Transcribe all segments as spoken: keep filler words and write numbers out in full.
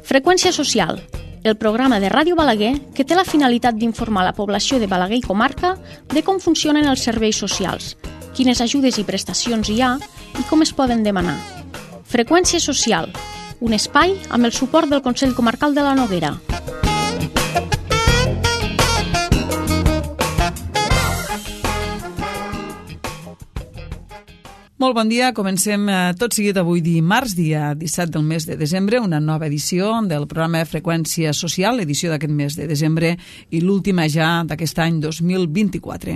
Freqüència social, el programa de Ràdio Balaguer que té la finalitat d'informar la població de Balaguer i comarca de com funcionen els serveis socials, quines ajudes i prestacions hi ha i com es poden demanar. Freqüència social, un espai amb el suport del Consell Comarcal de la Noguera. Molt bon dia, comencem tot seguit avui dimarts, dia disset del mes de desembre, una nova edició del programa Freqüència Social, l'edició d'aquest mes de desembre i l'última ja d'aquest any dos mil vint-i-quatre.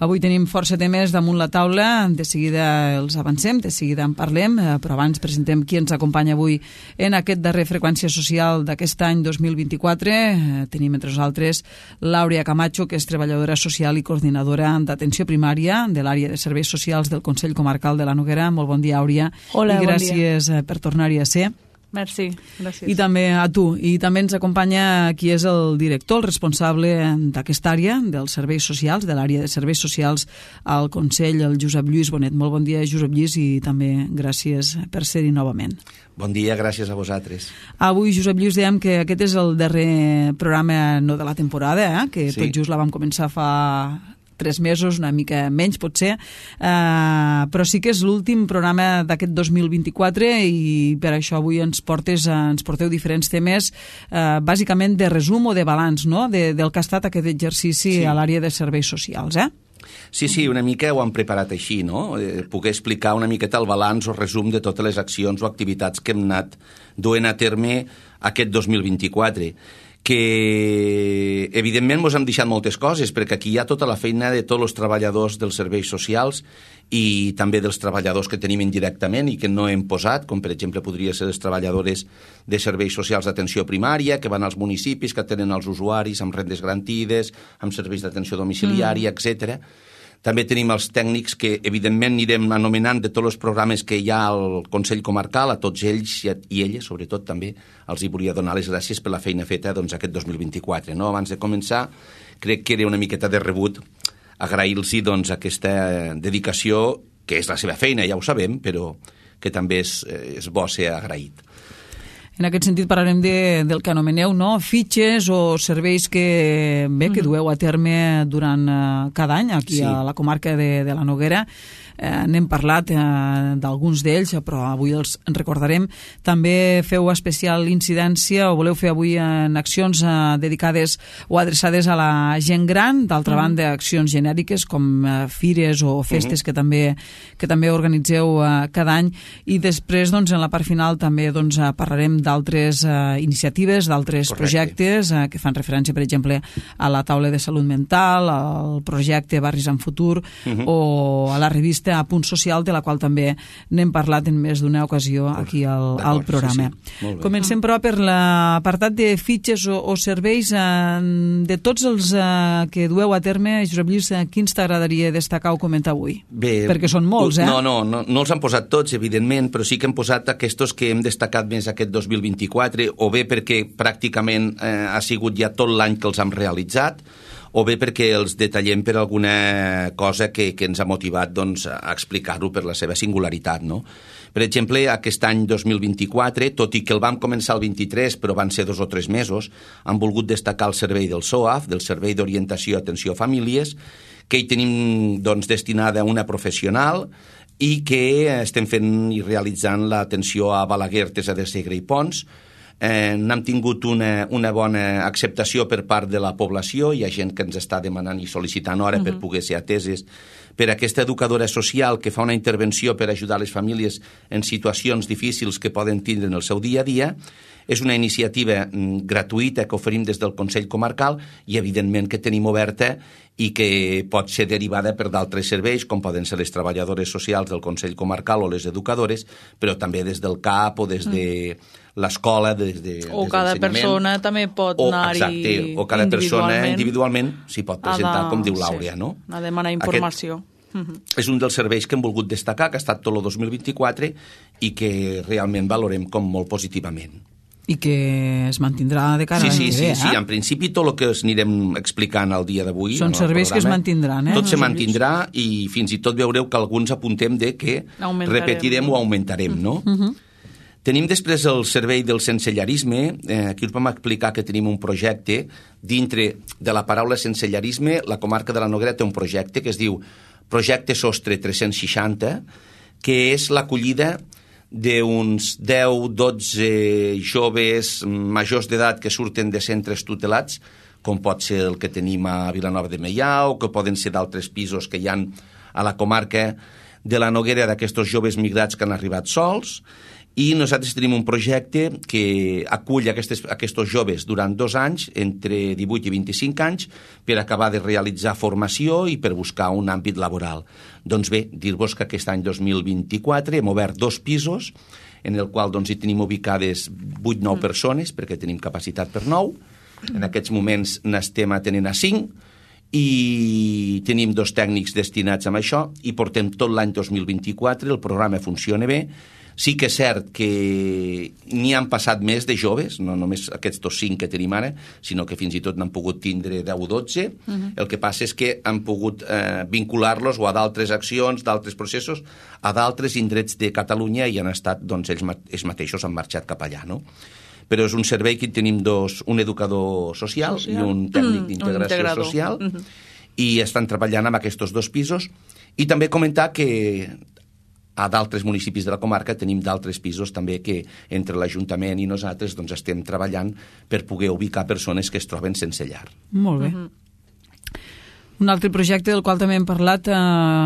Avui tenim força temes damunt la taula, de seguida els avancem, de seguida en parlem, però abans presentem qui ens acompanya avui en aquest darrer Freqüència Social d'aquest any dos mil vint-i-quatre. Tenim entre nosaltres l'Àurea Camacho, que és treballadora social i coordinadora d'atenció primària de l'àrea de serveis socials del Consell Comarcal de la Noguera. Molt bon dia, Àurea. Hola, I gràcies bon dia. per tornar-hi a ser. Merci, gràcies. I també a tu. I també ens acompanya qui és el director, el responsable d'aquesta àrea dels serveis socials, de l'àrea de serveis socials al Consell, el Josep Lluís Bonet. Molt bon dia, Josep Lluís, i també gràcies per ser-hi novament. Bon dia, gràcies a vosaltres. Avui, Josep Lluís, dèiem que aquest és el darrer programa, no de la temporada, eh? que sí. Tot just la vam començar fa tres mesos, una mica menys potser, uh, però sí que és l'últim programa d'aquest dos mil vint-i-quatre i per això avui ens portes, uh, ens porteu diferents temes, uh, bàsicament de resum o de balanç, no?, de, del que ha estat aquest exercici sí. a l'àrea de serveis socials, eh? Sí, sí, una mica ho han preparat així, no? Eh, poder explicar una miqueta el balanç o resum de totes les accions o activitats que hem anat duent a terme aquest dos mil vint-i-quatre, que evidentment ens hem deixat moltes coses, perquè aquí hi ha tota la feina de tots els treballadors dels serveis socials i també dels treballadors que tenim indirectament i que no hem posat, com per exemple podria ser les treballadores de serveis socials d'atenció primària, que van als municipis, que atenen els usuaris amb rendes garantides, amb serveis d'atenció domiciliària, mm. etcètera. També tenim els tècnics que, evidentment, anirem anomenant de tots els programes que hi ha al Consell Comarcal, a tots ells i elles, sobretot també, els hi volia donar les gràcies per la feina feta doncs, aquest dos mil vint-i-quatre. No? Abans de començar, crec que era una miqueta de rebut agrair-los doncs, aquesta dedicació, que és la seva feina, ja ho sabem, però que també és, és bo ser agraït. En aquest sentit parlarem de, del que anomeneu, no?, fitxes o serveis que, bé, que dueu a terme durant uh, cada any aquí sí. a la comarca de, de la Noguera. Eh, n'hem parlat eh, d'alguns d'ells, però avui els recordarem. També feu especial incidència o voleu fer avui en accions eh, dedicades o adreçades a la gent gran, d'altra mm. banda accions genèriques com eh, fires o festes mm. que també que també organitzeu eh, cada any, i després doncs, en la part final també doncs, parlarem d'altres eh, iniciatives, d'altres projectes eh, que fan referència, per exemple, a la taula de salut mental, al projecte Barris en Futur mm-hmm. o a la revista a Punt Social, de la qual també n'hem parlat en més d'una ocasió aquí al, al programa. Sí, sí. Comencem, però, per l'apartat de fitxes o, o serveis. Eh, de tots els eh, que dueu a terme, Josep Lluís, eh, quins t'agradaria destacar o comentar avui? Bé, perquè són molts, eh? No, no, no, no els han posat tots, evidentment, però sí que hem posat aquests que hem destacat més aquest dos mil vint-i-quatre, o bé perquè pràcticament eh, ha sigut ja tot l'any que els hem realitzat, o bé perquè els detallem per alguna cosa que, que ens ha motivat doncs, a explicar-ho per la seva singularitat, no? Per exemple, aquest any dos mil vint-i-quatre, tot i que el vam començar el vint-i-tres, però van ser dos o tres mesos, han volgut destacar el servei del S O A F, del Servei d'Orientació i Atenció a Famílies, que hi tenim doncs, destinada una professional i que estem fent i realitzant l'atenció a Balaguer, Artesa de Segre i Pons. Eh, n'hem tingut una, una bona acceptació per part de la població. Hi ha gent que ens està demanant i sol·licitant hora uh-huh. per poder ser ateses per aquesta educadora social que fa una intervenció per ajudar les famílies en situacions difícils que poden tindre en el seu dia a dia. És una iniciativa mm, gratuïta que oferim des del Consell Comarcal i, evidentment, que tenim oberta i que pot ser derivada per d'altres serveis, com poden ser les treballadores socials del Consell Comarcal o les educadores, però també des del C A P o des de l'escola, des de O des cada persona també pot anar-hi individualment. O cada persona individualment s'hi pot presentar, la, com diu l'Àurea, sí, no? A demanar informació. Aquest és un dels serveis que hem volgut destacar, que ha estat tot el dos mil vint-i-quatre i que realment valorem com molt positivament. I que es mantindrà de cara sí, a l'any sí, que sí, ve, eh? Sí, en principi tot el que us anirem explicant el dia d'avui... Són serveis que es mantindran, eh? Tot se mantindrà i fins i tot veureu que alguns apuntem de que Augmentarem. repetirem o augmentarem, no? Uh-huh. Tenim després el servei del sensellarisme. Eh, aquí us vam explicar que tenim un projecte. Dintre de la paraula sensellarisme, la comarca de la Noguera té un projecte que es diu Projecte Sostre tres-cents seixanta, que és l'acollida d'uns deu dotze joves majors d'edat que surten de centres tutelats, com pot ser el que tenim a Vilanova de Meià, o que poden ser d'altres pisos que hi ha a la comarca de la Noguera d'aquests joves migrats que han arribat sols. I nosaltres tenim un projecte que acull aquests, aquests joves durant dos anys, entre divuit i vint-i-cinc anys, per acabar de realitzar formació i per buscar un àmbit laboral. Doncs bé, dir-vos que aquest any dos mil vint-i-quatre hem obert dos pisos, en el qual doncs, hi tenim ubicades vuit nou persones, perquè tenim capacitat per nou. En aquests moments n'estem atenent a cinc, i tenim dos tècnics destinats a això, i portem tot l'any dos mil vint-i-quatre, el programa funciona bé. Sí que és cert que n'hi han passat més de joves, no només aquests dos cinc que tenim ara, sinó que fins i tot n'han pogut tindre deu o dotze. Uh-huh. El que passa és que han pogut eh, vincular-los o a d'altres accions, d'altres processos, a d'altres indrets de Catalunya i han estat, doncs, ells, ells mateixos han marxat cap allà, no? Però és un servei que tenim dos, un educador social, social. i un tècnic d'integració mm, social, uh-huh. i estan treballant amb aquests dos pisos. I també comentar que a d'altres municipis de la comarca tenim d'altres pisos també que entre l'Ajuntament i nosaltres doncs, estem treballant per poder ubicar persones que es troben sense llar. Molt bé. Uh-huh. Un altre projecte del qual també hem parlat eh,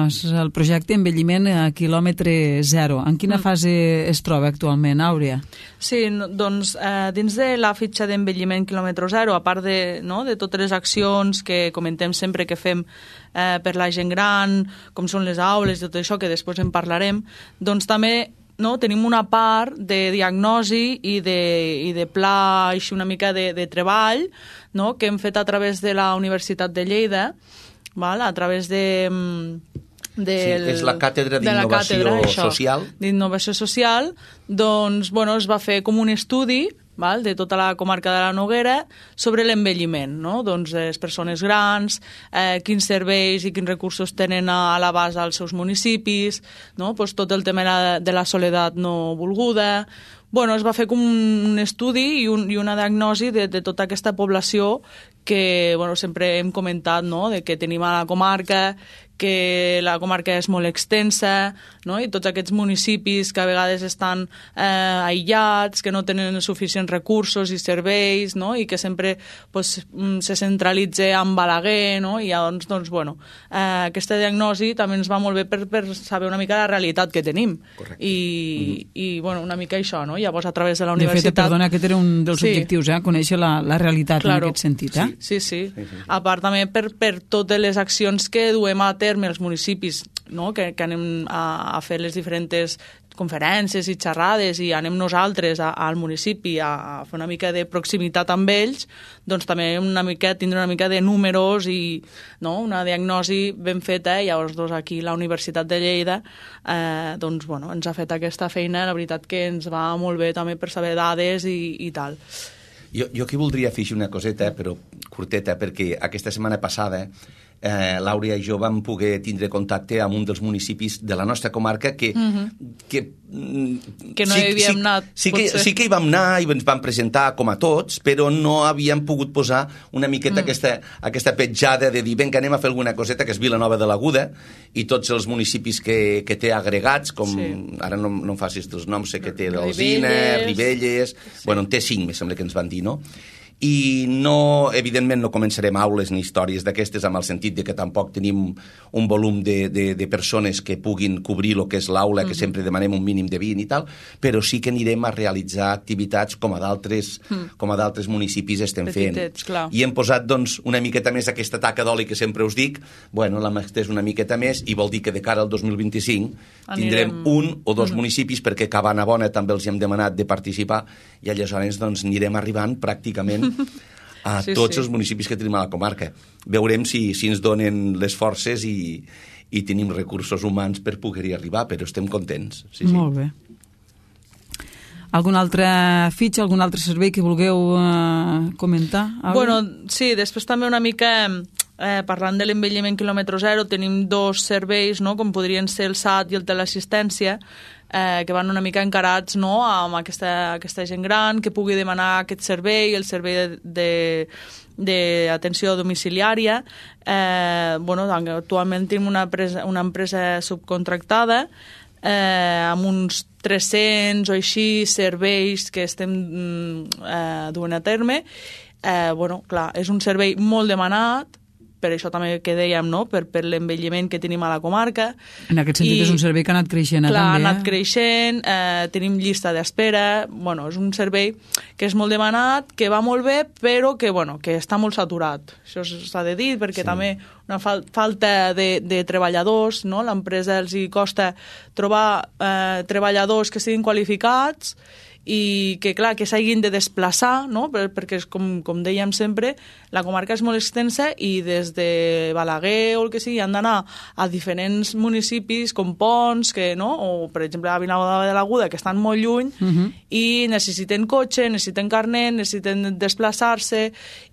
és el projecte Envelliment a quilòmetre zero. En quina mm. fase es troba actualment, Àurea? Sí, doncs eh, dins de la fitxa d'envelliment quilòmetre zero, a part de, no, de totes les accions que comentem sempre que fem eh, per la gent gran, com són les aules i tot això, que després en parlarem, doncs també no, tenim una part de diagnosi i de, i de pla, així una mica de, de treball, no, que hem fet a través de la Universitat de Lleida, val? A través de... Del, sí, és la càtedra d'innovació social. D'innovació social, doncs, bueno, es va fer com un estudi, val? De tota la comarca de la Noguera sobre l'envelliment, no? Doncs les persones grans, eh, quins serveis i quins recursos tenen a, a l'abast als seus municipis, no? Pues tot el tema de la soledat no volguda. Bueno, es va fer com un estudi i, un, i una diagnosi de, de tota aquesta població que bueno, sempre hem comentat, no? De que tenim a la comarca, que la comarca és molt extensa, no? I tots aquests municipis que a vegades estan eh, aïllats, que no tenen suficients recursos i serveis, no? I que sempre pues, se centralitza en Balaguer, no? I llavors, doncs, bueno, eh, aquesta diagnosi també ens va molt bé per, per saber una mica la realitat que tenim. Correcte. I, mm-hmm. i bueno, una mica això, no? Llavors, a través de la de universitat... fet, perdona, aquest era un dels sí. objectius, eh? Conèixer la, la realitat claro. En aquest sentit, eh? Sí, sí. sí. sí, sí. A part també per, per totes les accions que duem a terme els municipis, no? que, que anem a, a fer les diferents conferències i xerrades i anem nosaltres a, al municipi a, a fer una mica de proximitat amb ells, doncs també una mica, tindre una mica de números i no? Una diagnosi ben feta, i llavors doncs, aquí la Universitat de Lleida eh, doncs, bueno, ens ha fet aquesta feina, la veritat que ens va molt bé també per saber dades i, i tal. Jo, jo aquí voldria afegir una coseta, però curteta, perquè aquesta setmana passada eh, l'Àurea i jo vam poder tindre contacte amb un dels municipis de la nostra comarca que... Mm-hmm. que, que no sí, hi havíem sí, anat, sí que, sí que hi vam anar i ens vam presentar com a tots, però no havíem pogut posar una miqueta mm. aquesta, aquesta petjada de dir, vinga, anem a fer alguna coseta, que és Vilanova de l'Aguda, i tots els municipis que, que té agregats, com sí. Ara no, no em facis els noms, sé que té l'Alzina, Ribelles... Sí. Bueno, en té cinc, me sembla que ens van dir, no? I no, evidentment no començarem aules ni històries d'aquestes amb el sentit de que tampoc tenim un volum de, de, de persones que puguin cobrir el que és l'aula, que mm-hmm. sempre demanem un mínim de vint i tal, però sí que anirem a realitzar activitats com a d'altres mm. com a d'altres municipis estem Petitets, fent. Clar. I hem posat doncs una miqueta més aquesta taca d'oli que sempre us dic, bueno, l'hem estès una miqueta més i vol dir que de cara al dos mil vint-i-cinc tindrem Anirem... un o dos mm-hmm. municipis, perquè a Cabanabona també els hem demanat de participar i aleshores doncs anirem arribant pràcticament a sí, tots sí. els municipis que tenim a la comarca. Veurem si, si ens donen les forces i, i tenim recursos humans per poder-hi arribar, però estem contents. Sí, sí. Molt bé. Algun altre fitxa, algun altre servei que vulgueu eh, comentar? Àurea? Bueno, sí, després també una mica... Eh, parlant de l'envelliment quilòmetre zero, tenim dos serveis, no? Com podrien ser el S A T i el teleassistència, eh, que van una mica encarats, no?, amb aquesta, aquesta gent gran, que pugui demanar aquest servei, el servei de, de d'atenció domiciliària. Eh, bueno, actualment tenim una empresa, una empresa subcontractada eh, amb uns tres-cents o així serveis que estem eh, duent a terme. Eh, bueno, clar, és un servei molt demanat, per això també que dèiem, no?, per, per l'envelliment que tenim a la comarca. En aquest sentit I, és un servei que ha anat creixent, clar, també. Clar, ha anat creixent, eh, tenim llista d'espera, bueno, és un servei que és molt demanat, que va molt bé, però que, bueno, que està molt saturat. Això s'ha de dir, perquè sí. també una fal falta de, de treballadors, no?, l'empresa els hi costa trobar eh, treballadors que siguin qualificats i que, clar, que s'hagin de desplaçar, no?, perquè, com, com dèiem sempre, la comarca és molt extensa i des de Balaguer o el que sigui han d'anar a diferents municipis com Pons, que, no?, o, per exemple, a Vilanova de l'Aguda, que estan molt lluny, uh -huh. i necessiten cotxe, necessiten carnet, necessiten desplaçar-se,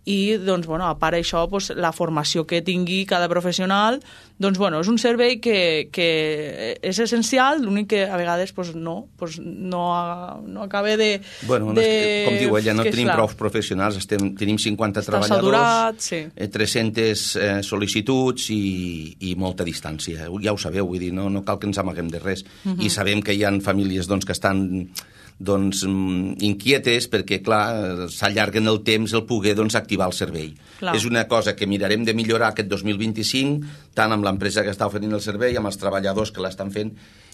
i, doncs, bueno, a part d'això, doncs, la formació que tingui cada professional, doncs, bueno, és un servei que, que és essencial, l'únic que a vegades, doncs, no, doncs, no, no acaba de... Bueno, de... No que, com diu ella, no que, tenim clar, prou professionals, estem, tenim cinquanta està treballadors, saturat, sí. eh, tres-centes eh, sol·licituds i, i molta distància. Ja ho sabeu, vull dir, no, no cal que ens amaguem de res. Uh -huh. I sabem que hi ha famílies, doncs, que estan doncs, inquietes perquè, clar, s'allarguen el temps el poder, doncs, activar el servei. Clar. És una cosa que mirarem de millorar aquest dos mil vint-i-cinc, tant amb l'empresa que està oferint el servei, amb els treballadors que l'estan fent,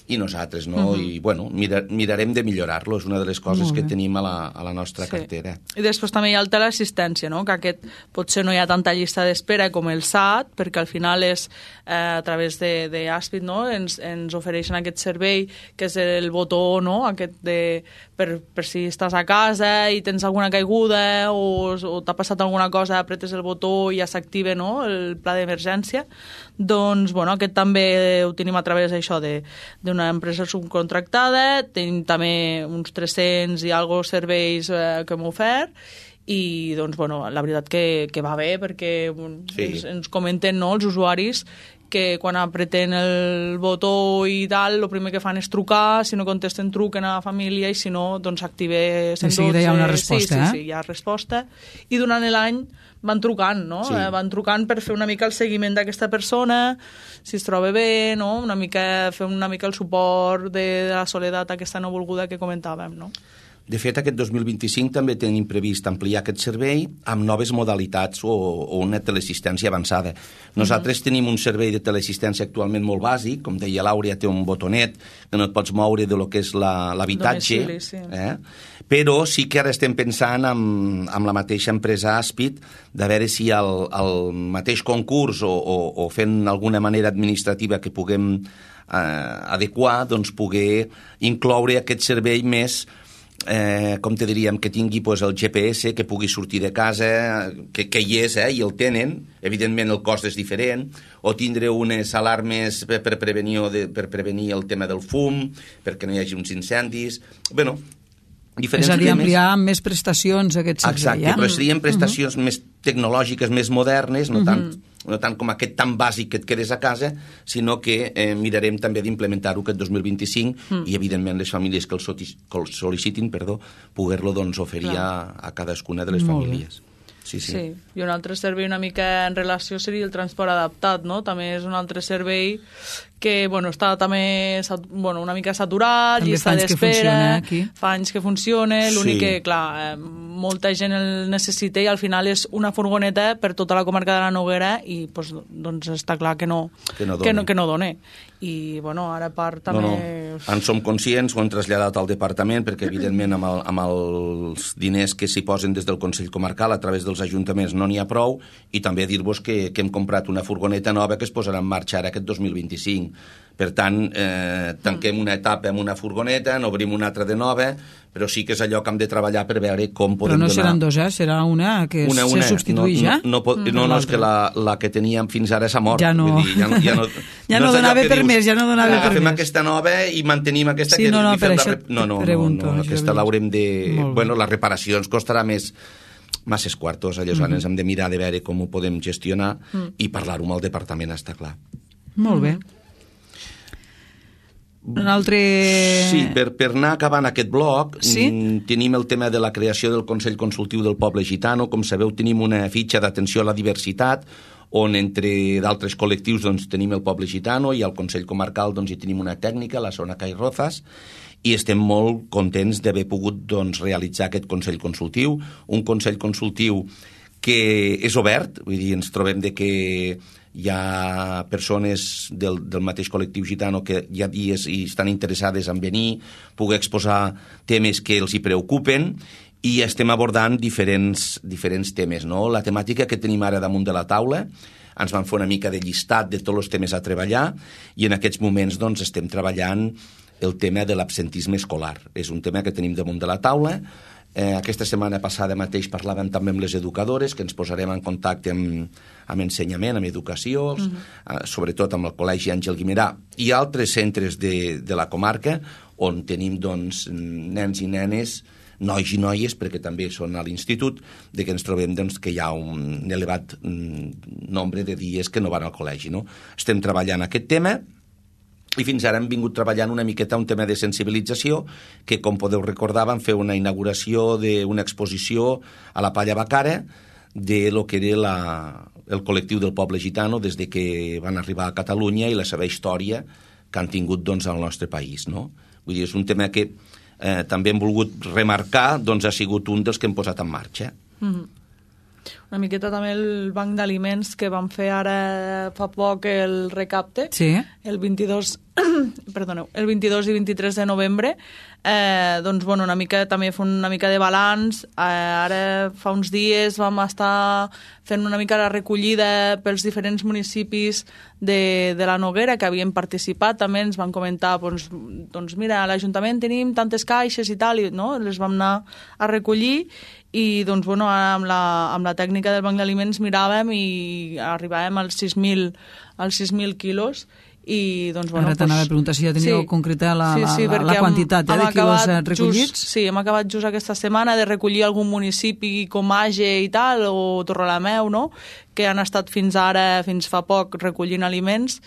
i nosaltres, no? Uh -huh. I, bueno, mirar, mirarem de millorar-lo, és una de les coses que tenim a la, a la nostra sí. cartera. I després també hi ha el teleassistència, no?, que aquest potser no hi ha tanta llista d'espera com el S A T, perquè al final és eh, a través d'Aspit, no?, ens, ens ofereixen aquest servei, que és el botó, no?, aquest de... Per, per si estàs a casa i tens alguna caiguda o, o t'ha passat alguna cosa, apretes el botó i ja s'activa, no?, el pla d'emergència. Doncs, bueno, aquest també ho tenim a través d'això, d'una empresa subcontractada, tenim també uns tres-cents i algo serveis eh, que hem ofert, i, doncs, bueno, la veritat que, que va bé, perquè sí. ens, ens comenten, no?, els usuaris, que quan apreten el botó i tal, el primer que fan és trucar, si no contesten truquen a la família, i si no, doncs active cent dotze. De seguida hi ha una resposta, sí, eh? Sí, sí, hi ha resposta. I durant l'any van trucant, no? Sí. Eh, van trucant per fer una mica el seguiment d'aquesta persona, si es troba bé, no? Una mica, fer una mica el suport de, de la soledat aquesta no volguda que comentàvem, no? De fet, aquest dos mil vint-i-cinc també tenim previst ampliar aquest servei amb noves modalitats o, o una teleassistència avançada. Nosaltres uh -huh. tenim un servei de teleassistència actualment molt bàsic, com deia l'Àurea, té un botonet que no et pots moure de lo que és l'habitatge, sí. eh? Però sí que ara estem pensant amb, amb la mateixa empresa Aspit de veure si el, el mateix concurs o, o, o fent alguna manera administrativa que puguem eh, adequar, doncs poder incloure aquest servei més Eh, com te diríem, que tingui pues, el G P S, que pugui sortir de casa, que, que hi és, eh, i el tenen, evidentment el cost és diferent, o tindre unes alarmes per, per, prevenir, de, per prevenir el tema del fum, perquè no hi hagi uns incendis. Bueno, diferents és a dir, temes. ampliar amb més prestacions aquest servei. Exacte, ja? però serien prestacions uh -huh. més tecnològiques, més modernes, no, uh -huh. tant, no tant com aquest tan bàsic que et quedes a casa, sinó que eh, mirarem també d'implementar-ho aquest dos mil vint-i-cinc uh -huh. i, evidentment, les famílies que el, que el sol·licitin, perdó, poder-lo doncs, oferir a, a cadascuna de les Molt famílies. Bé. Sí, sí. sí, i un altre servei una mica en relació seria el transport adaptat, no? També és un altre servei que, bueno, està també bueno, una mica saturat, també llista d'espera, fa anys que funciona, l'únic sí. que, clar, eh, molta gent el necessita i al final és una furgoneta per tota la comarca de la Noguera i, pues, doncs, està clar que no, que no que no, que no done. I, bueno, ara a part també... No, no. En som conscients, ho hem traslladat al departament, perquè, evidentment, amb, el, amb els diners que s'hi posen des del Consell Comarcal a través dels ajuntaments no n'hi ha prou, i també dir-vos que, que hem comprat una furgoneta nova que es posarà en marxa ara aquest dos mil vint-i-cinc. Per tant, eh, tanquem una etapa amb una furgoneta, n'obrim una altra de nova, però sí que és allò que hem de treballar per veure com podem donar... Però no seran dos, eh? Serà una que una, una. se substitueix, no, ja? No, no, pot, mm. no, no, és que la, la que teníem fins ara s'ha mort. Ja no. Vull dir, ja no, ja no, ja no, no donava per dius, més, ja no donava per més. Agafem aquesta nova i mantenim aquesta... Sí, que no, no, per això rep... no, no, pregunto. No, no, aquesta l'haurem de... Bueno, la reparació ens costarà més masses quartos, aleshores mm. hem de mirar de veure com ho podem gestionar mm. i parlar-ho amb el departament, està clar. Molt bé. Un altre... Sí, per, per anar acabant aquest bloc, sí? tenim el tema de la creació del Consell Consultiu del Poble Gitano. Com sabeu, tenim una fitxa d'atenció a la diversitat, on entre d'altres col·lectius doncs, tenim el Poble Gitano i al Consell Comarcal doncs, hi tenim una tècnica, la Zona Cai Rozas, i estem molt contents d'haver pogut doncs, realitzar aquest Consell Consultiu, un Consell Consultiu que és obert, vull dir, ens trobem de que hi ha persones del, del mateix col·lectiu gitano que hi ha dies i estan interessades en venir, poder exposar temes que els hi preocupen, i estem abordant diferents, diferents temes, no? La temàtica que tenim ara damunt de la taula, ens van fer una mica de llistat de tots els temes a treballar, i en aquests moments doncs, estem treballant el tema de l'absentisme escolar. És un tema que tenim damunt de la taula. Eh, aquesta setmana passada mateix parlàvem també amb les educadores, que ens posarem en contacte amb, amb ensenyament, amb educació, uh -huh. eh, sobretot amb el Col·legi Àngel Guimerà i altres centres de, de la comarca, on tenim doncs, nens i nenes, nois i noies, perquè també són a l'institut, de que ens trobem doncs, que hi ha un elevat mm, nombre de dies que no van al col·legi. No? Estem treballant aquest tema, i fins ara hem vingut treballant una miqueta un tema de sensibilització, que, com podeu recordar, vam fer una inauguració d'una exposició a la Palla Bacara de lo que era la, el col·lectiu del poble gitano des de que van arribar a Catalunya i la seva història que han tingut doncs, al nostre país. No? Vull dir, és un tema que eh, també hem volgut remarcar, doncs ha sigut un dels que hem posat en marxa. Mm-hmm. Una miqueta també el banc d'aliments que vam fer ara fa poc el recapte, sí. el vint-i-dos perdoneu, el vint-i-dos i vint-i-tres de novembre, eh, doncs bueno, una mica també fer una mica de balanç. Eh, ara fa uns dies vam estar fent una mica la recollida pels diferents municipis de, de la Noguera que havien participat, també ens van comentar doncs, doncs mira, a l'Ajuntament tenim tantes caixes i tal, i, no? Les vam anar a recollir i doncs, bueno, amb la, amb la tècnica del banc d'aliments miràvem i arribàvem als sis mil als sis mil quilos. I, doncs, bueno, ara t'anava pues, a preguntar si ja teníeu sí, concreta la, sí, sí, la, la quantitat hem, eh, de quilos recollits. Just, sí, hem acabat just aquesta setmana de recollir algun municipi com Age i tal, o Torrelameu, no?, que han estat fins ara, fins fa poc, recollint aliments,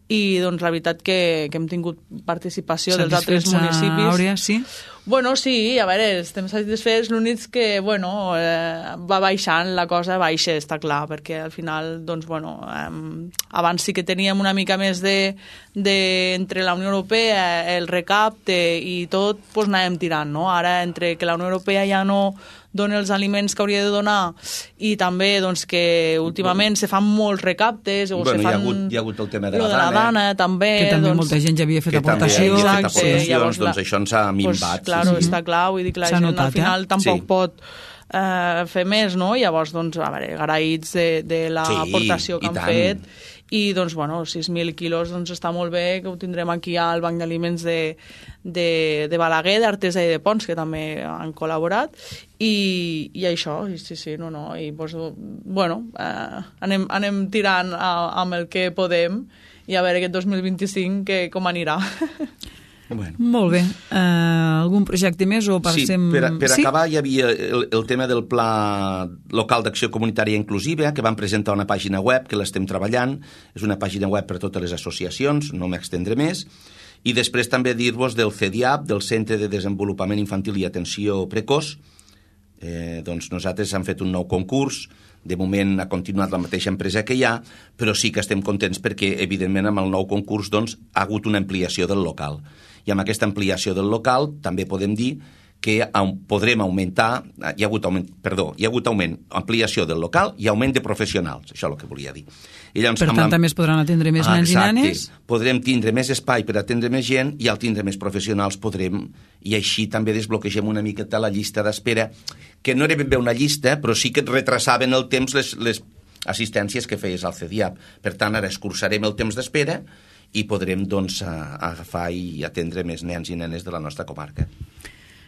i doncs la veritat que, que hem tingut participació dels altres municipis. Àurea, sí? Bueno, sí, a veure, estem satisfets, l'únic que, bueno, eh, va baixant, la cosa baixa, està clar, perquè al final, doncs, bueno, eh, abans sí que teníem una mica més de, de entre la Unió Europea, el recapte i tot, doncs anàvem tirant, no? Ara, entre que la Unió Europea ja no dona els aliments que hauria de donar i també doncs, que últimament se fan molts recaptes o bueno, se fan... Hi ha, hagut, hi ha hagut el tema de la, de la dana, dana, també. Que també doncs, molta gent ja havia fet aportacions. Exacte, Exacte, aportacions, llavors, doncs la... això ens ha minvat. Pues, claro, sí, sí. està clar, vull dir que la S'ha gent notat, al final eh? tampoc sí. pot eh, fer més, no? Llavors, doncs, a veure, agraïts de, de l'aportació sí, que han tant. fet. I, doncs, bueno, sis mil quilos doncs, està molt bé, que ho tindrem aquí al Banc d'Aliments de, de, de Balaguer, d'Artesa i de Pons, que també han col·laborat, i, i això, i sí, sí, no, no, i, doncs, bueno, eh, anem, anem tirant a, amb el que podem, i a veure aquest dos mil vint-i-cinc que, com anirà. Bueno. Molt bé. Uh, algun projecte més o passem... Sí, per, per sí? acabar hi havia el, el tema del Pla Local d'Acció Comunitària Inclusiva, que van presentar una pàgina web que l'estem treballant. És una pàgina web per a totes les associacions, no m'extendré més. I després també dir-vos del C E D I A P, del Centre de Desenvolupament Infantil i Atenció Precoç. Eh, doncs nosaltres hem fet un nou concurs. De moment ha continuat la mateixa empresa que hi ha, però sí que estem contents perquè, evidentment, amb el nou concurs doncs, ha hagut una ampliació del local. I amb aquesta ampliació del local també podem dir que podrem augmentar, hi ha hagut augment, perdó, hi ha hagut augment, ampliació del local i augment de professionals, això és el que volia dir. I llavors, per tant, també es podran atendre més ah, nens exacte. i nenes? Podrem tindre més espai per atendre més gent i al tindre més professionals podrem, i així també desbloquegem una miqueta la llista d'espera, que no era ben bé una llista, però sí que et retrasaven el temps les, les assistències que feies al C E D I A P. Per tant, ara escurçarem el temps d'espera i podrem doncs, agafar i atendre més nens i nenes de la nostra comarca.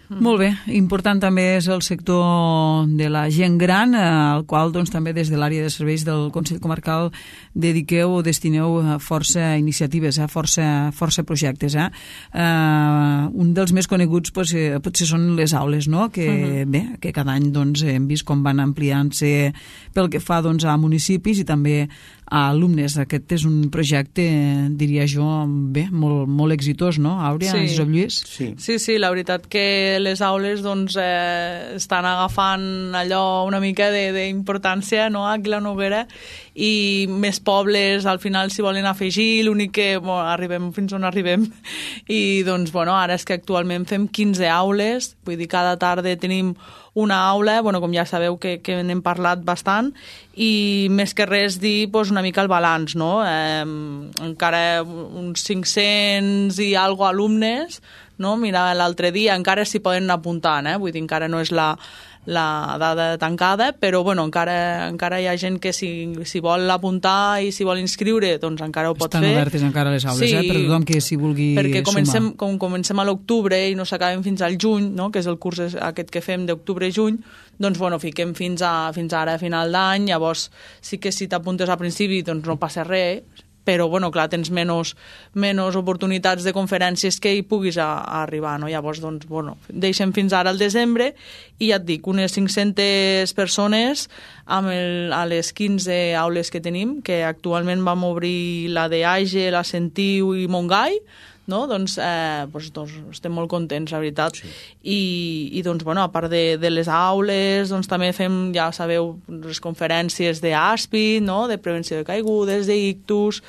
Molt bé, important també és el sector de la gent gran, al qual doncs, també des de l'àrea de serveis del Consell Comarcal dediqueu o destineu força iniciatives, eh? força, força projectes. Eh? Uh, un dels més coneguts pues, eh, potser són les aules, no? que, uh-huh. bé, que cada any doncs, hem vist com van ampliant-se pel que fa doncs, a municipis i també a alumnes. Aquest és un projecte, diria jo, bé, molt, molt exitós, no, Àurea? Sí. Josep Lluís? Sí. sí, sí, la veritat que les aules doncs, eh, estan agafant allò una mica d'importància, no?, aquí a la Noguera, i més pobles al final s'hi volen afegir, l'únic que bueno, arribem fins on arribem, i doncs, bueno, ara és que actualment fem quinze aules, vull dir, cada tarda tenim una aula, bueno, com ja sabeu que, que n'hem parlat bastant, i més que res dir doncs, una mica el balanç, no? Eh, encara uns cinc-cents i algo alumnes, no? Mira, l'altre dia encara s'hi poden anar apuntant, eh? Vull dir, encara no és la, la dada tancada, però bueno, encara, encara hi ha gent que si, si vol apuntar i si vol inscriure, doncs encara ho pot Estan fer. Estan obertes encara les aules, sí, eh? Per tothom que s'hi vulgui perquè comencem, sumar. Com comencem a l'octubre i no s'acabem fins al juny, no? Que és el curs aquest que fem d'octubre-juny, doncs bueno, fiquem fins, a, fins ara a final d'any, llavors sí que si t'apuntes al principi doncs no passa res, però bueno, clar, tens menys, menys oportunitats de conferències que hi puguis a, a arribar, no? Llavors, doncs, bueno, deixem fins ara al desembre i ja et dic, unes cinc-centes persones amb el, a les quinze aules que tenim, que actualment vam obrir la de Age, la Sentiu i Montgai, no? Doncs, eh, doncs, doncs estem molt contents, la veritat. Sí. I, i doncs, bueno, a part de, de les aules, doncs també fem, ja sabeu, les conferències d'A S P I, no? De prevenció de caigudes, d'ictus,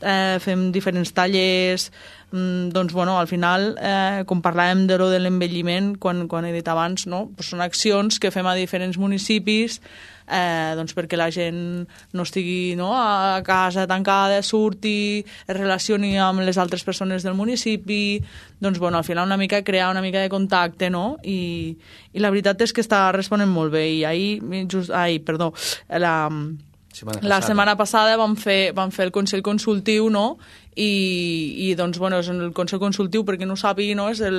eh, fem diferents tallers, mm, doncs, bueno, al final, eh, com parlàvem de lo de l'envelliment, quan, quan he dit abans, no? Pues són accions que fem a diferents municipis, Eh, doncs perquè la gent no estigui, no, a casa tancada, surti, es relacioni amb les altres persones del municipi, doncs bueno, al final una mica crear una mica de contacte, no? I, i la veritat és que està responent molt bé, i ahir, just, ahir perdó, la, setmana la setmana passada vam fer, vam fer el Consell Consultiu, no? I, i doncs, bueno, és el Consell Consultiu, perquè no ho sàpiga, no? És el,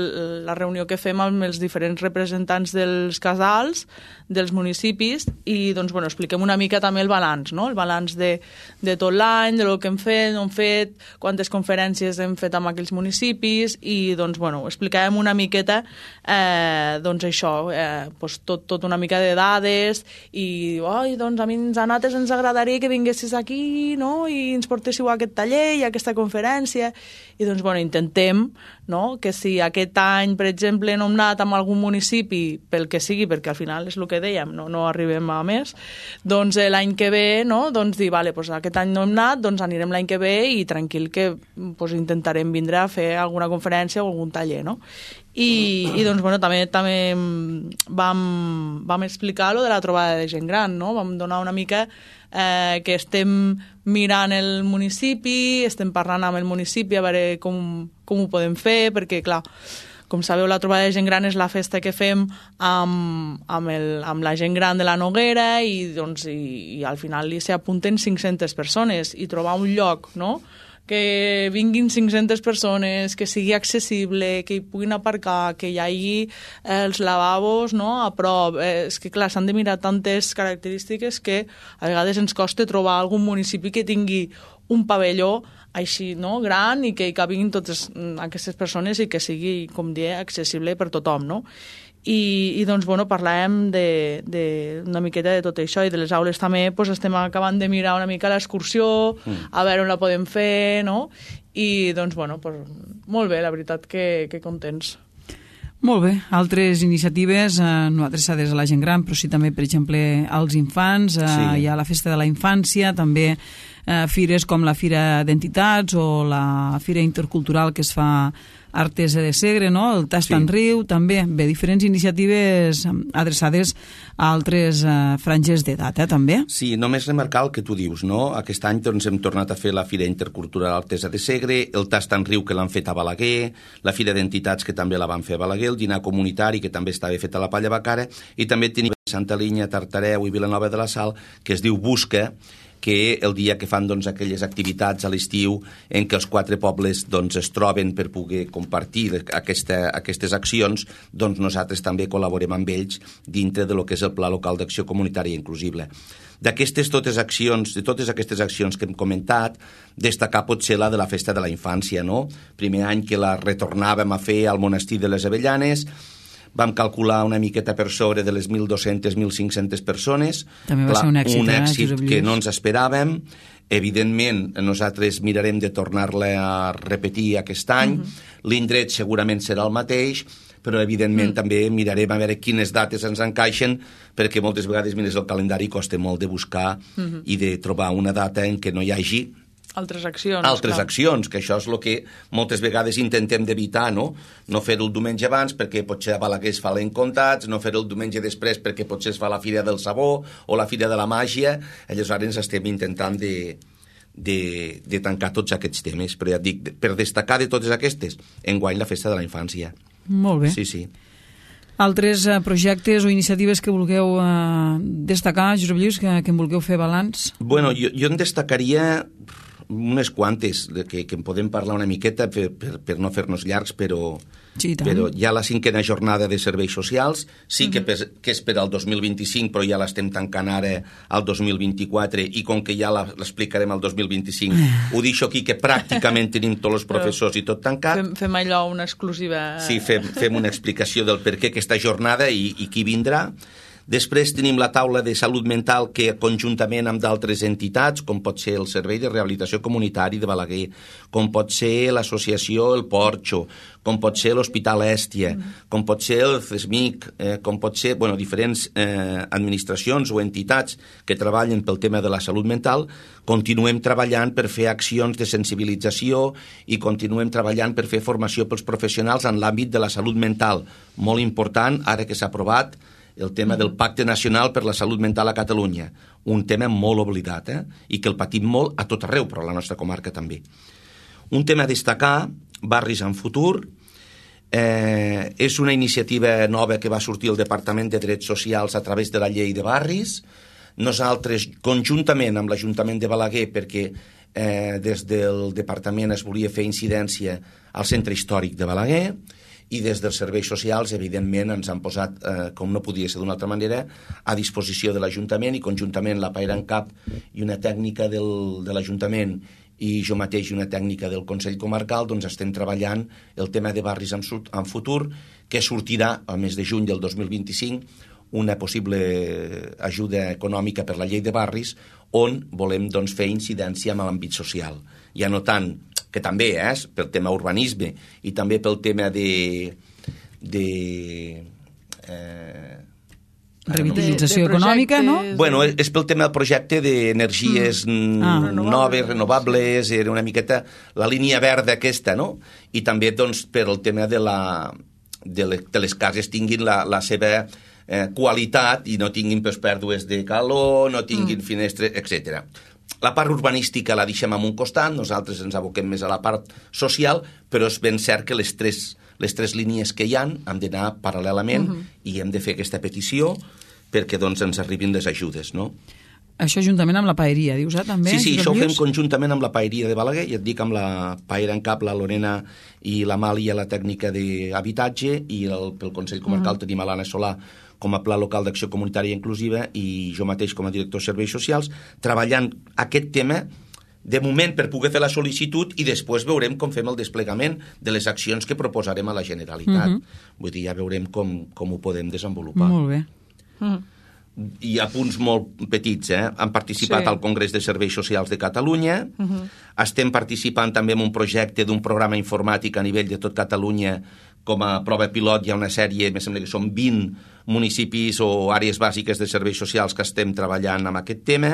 la reunió que fem amb els diferents representants dels casals, dels municipis, i doncs, bueno, expliquem una mica també el balanç, no? El balanç de, de tot l'any, de lo que hem fet, no hem fet, quantes conferències hem fet amb aquells municipis, i doncs, bueno, explicàvem una miqueta, eh, doncs això, eh, doncs tot, tot una mica de dades, i, oi, doncs a mi a nosaltres ens agradaria que vinguessis aquí, no? I ens portéssiu a aquest taller i a aquesta conferència, conferència, i doncs, bueno, intentem, no?, que si aquest any, per exemple, no hem anat amb algun municipi, pel que sigui, perquè al final és el que dèiem, no, no arribem a més, doncs l'any que ve, no?, doncs dir, vale, doncs aquest any no hem anat, doncs anirem l'any que ve i tranquil que doncs, intentarem vindre a fer alguna conferència o algun taller, no? I, i doncs, bueno, també, també vam, vam explicar lo de la trobada de gent gran, no? Vam donar una mica eh, que estem mirant el municipi, estem parlant amb el municipi a veure com, com ho podem fer, perquè, clar, com sabeu, la trobada de gent gran és la festa que fem amb, amb, el, amb la gent gran de la Noguera, i, doncs, i, i al final s'hi apunten cinc-centes persones, i trobar un lloc, no?, que vinguin cinc-centes persones, que sigui accessible, que hi puguin aparcar, que hi hagi els lavabos, no?, a prop. Eh, és que, clar, s'han de mirar tantes característiques que a vegades ens costa trobar algun municipi que tingui un pavelló així, no?, gran, i que hi cabin totes aquestes persones i que sigui, com dir, accessible per tothom, no? I, i doncs, bueno, parlàvem de, de una miqueta de tot això, i de les aules també pues, estem acabant de mirar una mica l'excursió, mm. a veure on la podem fer, no? I doncs, bueno, pues, molt bé, la veritat que, que contents. Molt bé, altres iniciatives eh, no adreçades a la gent gran, però sí també, per exemple, als infants, eh, sí. Hi ha la Festa de la Infància, també eh, fires com la Fira d'Entitats o la Fira Intercultural que es fa Artesa de Segre, no? El Tast en Riu, també, bé, diferents iniciatives adreçades a altres eh, franges d'edat, eh, també. Sí, només remarcar el que tu dius, no? Aquest any doncs, hem tornat a fer la Fira Intercultural Artesa de Segre, el Tast en Riu, que l'han fet a Balaguer, la Fira d'Entitats, que també la van fer a Balaguer, el dinar comunitari, que també estava fet a la Palla Bacara, i també tenim Santa Linya, Tartareu i Vilanova de la Sal, que es diu Busca, que el dia que fan doncs, aquelles activitats a l'estiu en què els quatre pobles doncs, es troben per poder compartir aquesta, aquestes accions, doncs nosaltres també col·laborem amb ells dintre de lo que és el Pla Local d'Acció Comunitària Inclusiva. D'aquestes totes accions, de totes aquestes accions que hem comentat, destacar potser la de la Festa de la Infància, no? Primer any que la retornàvem a fer al Monestir de les Avellanes, vam calcular una miqueta per sobre de les mil dos-cents a mil cinc-cents persones. També va Clar, ser un èxit, un eh, èxit Josep que Lluís? no ens esperàvem. Evidentment, nosaltres mirarem de tornar-la a repetir aquest any. Uh-huh. L'indret segurament serà el mateix, però evidentment uh-huh. també mirarem a veure quines dates ens encaixen, perquè moltes vegades mires el calendari i costa molt de buscar uh-huh. i de trobar una data en què no hi hagi altres accions. Altres clar. accions, que això és el que moltes vegades intentem d'evitar, no? No fer-ho el diumenge abans perquè potser a Balaguer es fa l'encontats, no fer-ho el diumenge després perquè potser es fa la Fira del Sabó o la Fira de la Màgia. Aleshores estem intentant de, de, de tancar tots aquests temes. Però ja et dic, per destacar de totes aquestes, enguany la Festa de la Infància. Molt bé. Sí, sí. Altres uh, projectes o iniciatives que vulgueu uh, destacar, Josep Lluís, que, que en vulgueu fer balanç? Bueno, jo, jo en destacaria unes quantes, de que, que en podem parlar una miqueta per, per, per no fer-nos llargs, però, sí, però hi ha la cinquena jornada de serveis socials, sí uh-huh. que, per, que és per al dos mil vint-i-cinc, però ja l'estem tancant ara al dos mil vint-i-quatre, i com que ja l'explicarem al dos mil vint-i-cinc, ho deixo aquí, que pràcticament tenim tots els professors i tot tancat. Fem, fem allò una exclusiva... Sí, fem, fem una explicació del per què aquesta jornada i, i qui vindrà. Després tenim la taula de salut mental que conjuntament amb d'altres entitats, com pot ser el Servei de Rehabilitació Comunitari de Balaguer, com pot ser l'associació El Porxo, com pot ser l'Hospital Èstia, com pot ser el C E S M I C, eh, com pot ser bueno, diferents eh, administracions o entitats que treballen pel tema de la salut mental, continuem treballant per fer accions de sensibilització i continuem treballant per fer formació pels professionals en l'àmbit de la salut mental. Molt important, ara que s'ha aprovat el tema del Pacte Nacional per la Salut Mental a Catalunya, un tema molt oblidat, eh? I que el patim molt a tot arreu, però a la nostra comarca també. Un tema a destacar, Barris en Futur, eh, és una iniciativa nova que va sortir el Departament de Drets Socials a través de la llei de barris. Nosaltres, conjuntament amb l'Ajuntament de Balaguer, perquè eh, des del departament es volia fer incidència al centre històric de Balaguer, i des dels serveis socials, evidentment, ens han posat, eh, com no podia ser d'una altra manera, a disposició de l'Ajuntament, i conjuntament la Paira en Cap i una tècnica del, de l'Ajuntament i jo mateix i una tècnica del Consell Comarcal, doncs estem treballant el tema de barris en, en futur, que sortirà al mes de juny del dos mil vint-i-cinc una possible ajuda econòmica per la llei de barris, on volem doncs, fer incidència amb l'àmbit social. Ja no tant que també és eh, pel tema urbanisme i també pel tema de... de eh, revitalització de, de econòmica, no? Bueno, és, és pel tema del projecte d'energies mm. ah, noves, renovables, era una miqueta la línia verda aquesta, no? I també doncs, per el tema de, la, de, le, de les cases tinguin la, la seva eh, qualitat i no tinguin pues, pèrdues de calor, no tinguin mm. finestres, etcètera. La part urbanística la deixem en un costat, nosaltres ens aboquem més a la part social, però és ben cert que les tres, les tres línies que hi ha han d'anar paral·lelament uh-huh. i hem de fer aquesta petició perquè doncs, ens arribin les ajudes, no? Això juntament amb la paeria, dius, eh, també? Sí, sí, això ho fem conjuntament amb la paeria de Balaguer, i et dic amb la Paera en Cap, la Lorena i la Màlia, la tècnica d'habitatge, i el, pel Consell Comarcal uh-huh. tenim a l'Anna Solà com a Pla Local d'Acció Comunitària Inclusiva i jo mateix com a director de Serveis Socials, treballant aquest tema de moment per poder fer la sol·licitud i després veurem com fem el desplegament de les accions que proposarem a la Generalitat. Uh-huh. Vull dir, ja veurem com, com ho podem desenvolupar. Molt bé. Uh-huh. Hi ha punts molt petits, eh? Han participat sí. al Congrés de Serveis Socials de Catalunya, uh-huh. estem participant també en un projecte d'un programa informàtic a nivell de tot Catalunya. Com a prova pilot hi ha una sèrie, me sembla que són vint municipis o àrees bàsiques de serveis socials que estem treballant amb aquest tema,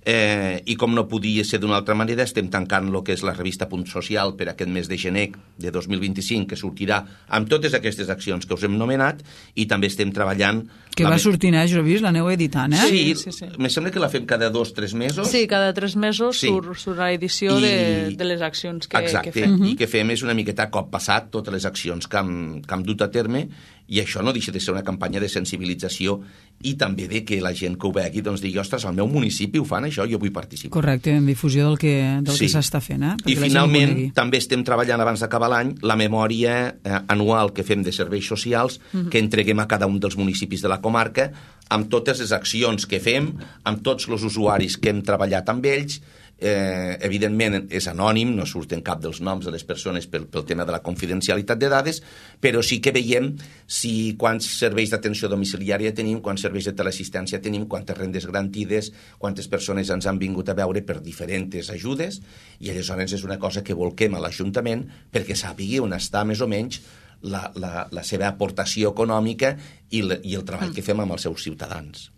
eh, i com no podia ser d'una altra manera, estem tancant el que és la revista Punt Social per aquest mes de gener de dos mil vint-i-cinc, que sortirà amb totes aquestes accions que us hem nomenat, i també estem treballant Que va sortint, eh, jo he vist, l'aneu editant, eh? Sí, sí, sí. me sembla que la fem cada dos o tres mesos. Sí, cada tres mesos Sí. surt, surt la edició I- de, de les accions que, Exacte, que fem. i que fem és una miqueta a cop passat totes les accions que hem, que hem dut a terme, i això no deixa de ser una campanya de sensibilització i també de que la gent que ho vegi doncs digui, ostres, al meu municipi ho fan això, jo vull participar. Correcte, en difusió del que, del Sí. que s'està fent, eh? I Perquè la gent ho finalment conegui. també estem treballant abans d'acabar l'any la memòria eh, anual que fem de serveis socials uh-huh. que entreguem a cada un dels municipis de la comarca amb totes les accions que fem, amb tots els usuaris que hem treballat amb ells. Eh, evidentment és anònim, no surten cap dels noms de les persones pel, pel tema de la confidencialitat de dades, però sí que veiem si quants serveis d'atenció domiciliària tenim, quants serveis de teleassistència tenim, quantes rendes garantides, quantes persones ens han vingut a veure per diferents ajudes, i aleshores és una cosa que volquem a l'Ajuntament perquè sàpigui on està més o menys la, la, la seva aportació econòmica i, le, i el treball que fem amb els seus ciutadans.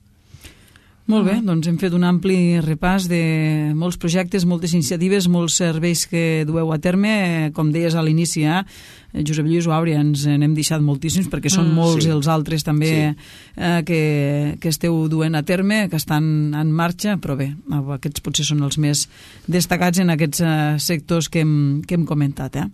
Molt bé, doncs hem fet un ampli repàs de molts projectes, moltes iniciatives, molts serveis que dueu a terme. Com deies a l'inici, eh? Josep Lluís o Àurea, ens n'hem deixat moltíssims perquè són mm, molts sí. els altres també sí. eh, que, que esteu duent a terme, que estan en marxa, però bé, aquests potser són els més destacats en aquests eh, sectors que hem, que hem comentat, eh?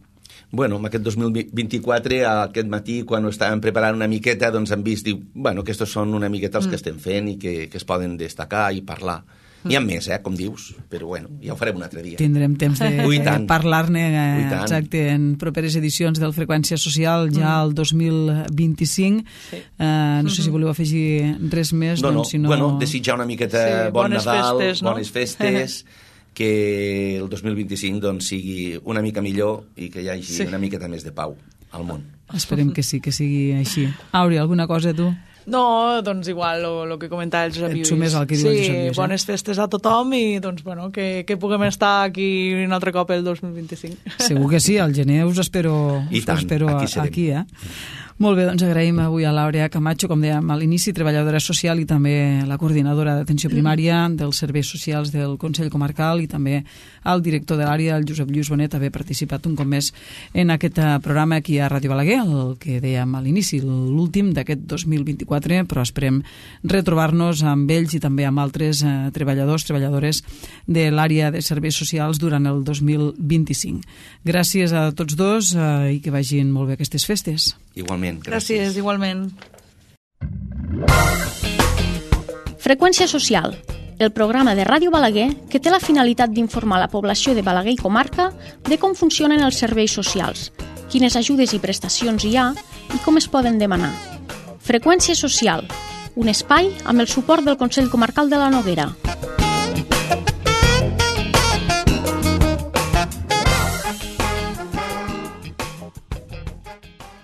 Bueno, en aquest dos mil vint-i-quatre, aquest matí, quan ho estàvem preparant una miqueta, doncs hem vist, diu, bueno, aquests són una miqueta els mm. que estem fent i que, que es poden destacar i parlar. Mm. N'hi ha més, eh, com dius, però bueno, ja ho farem un altre dia. Tindrem temps de Ui, tant. parlar-ne Ui, eh, tant. exacte, en properes edicions del Freqüència Social ja el dos mil vint-i-cinc. Sí. Eh, no sé si voleu afegir res més. No, no, doncs, si no... bueno, desitjar una miqueta Sí, bon bones Nadal, festes, no? bones festes, que el dos mil vint-i-cinc doncs, sigui una mica millor i que hi hagi Sí. una miqueta més de pau al món. Esperem que sí, que sigui així. Àurea, alguna cosa tu? No, doncs igual, el que comentava el Josep Et Lluís. sumes al que diu el sí, Josep Lluís, eh? bones festes a tothom i doncs, bueno, que, que puguem estar aquí un altre cop el dos mil vint-i-cinc. Segur que sí, al gener us espero, I us tant, espero aquí serem. aquí, eh? Molt bé, doncs agraïm avui a l'Àurea Camacho, com dèiem a l'inici, treballadora social i també la coordinadora d'atenció primària dels serveis socials del Consell Comarcal, i també al director de l'àrea, el Josep Lluís Bonet, haver participat un cop més en aquest programa aquí a Ràdio Balaguer, el que dèiem a l'inici, l'últim d'aquest dos mil vint-i-quatre, però esperem retrobar-nos amb ells i també amb altres eh, treballadors, treballadores de l'àrea de serveis socials durant el dos mil vint-i-cinc. Gràcies a tots dos eh, i que vagin molt bé aquestes festes. Igualment, Gràcies, gràcies. igualment. Freqüència social, el programa de Ràdio Balaguer que té la finalitat d'informar la població de Balaguer i comarca de com funcionen els serveis socials, quines ajudes i prestacions hi ha i com es poden demanar. Freqüència social, un espai amb el suport del Consell Comarcal de la Noguera.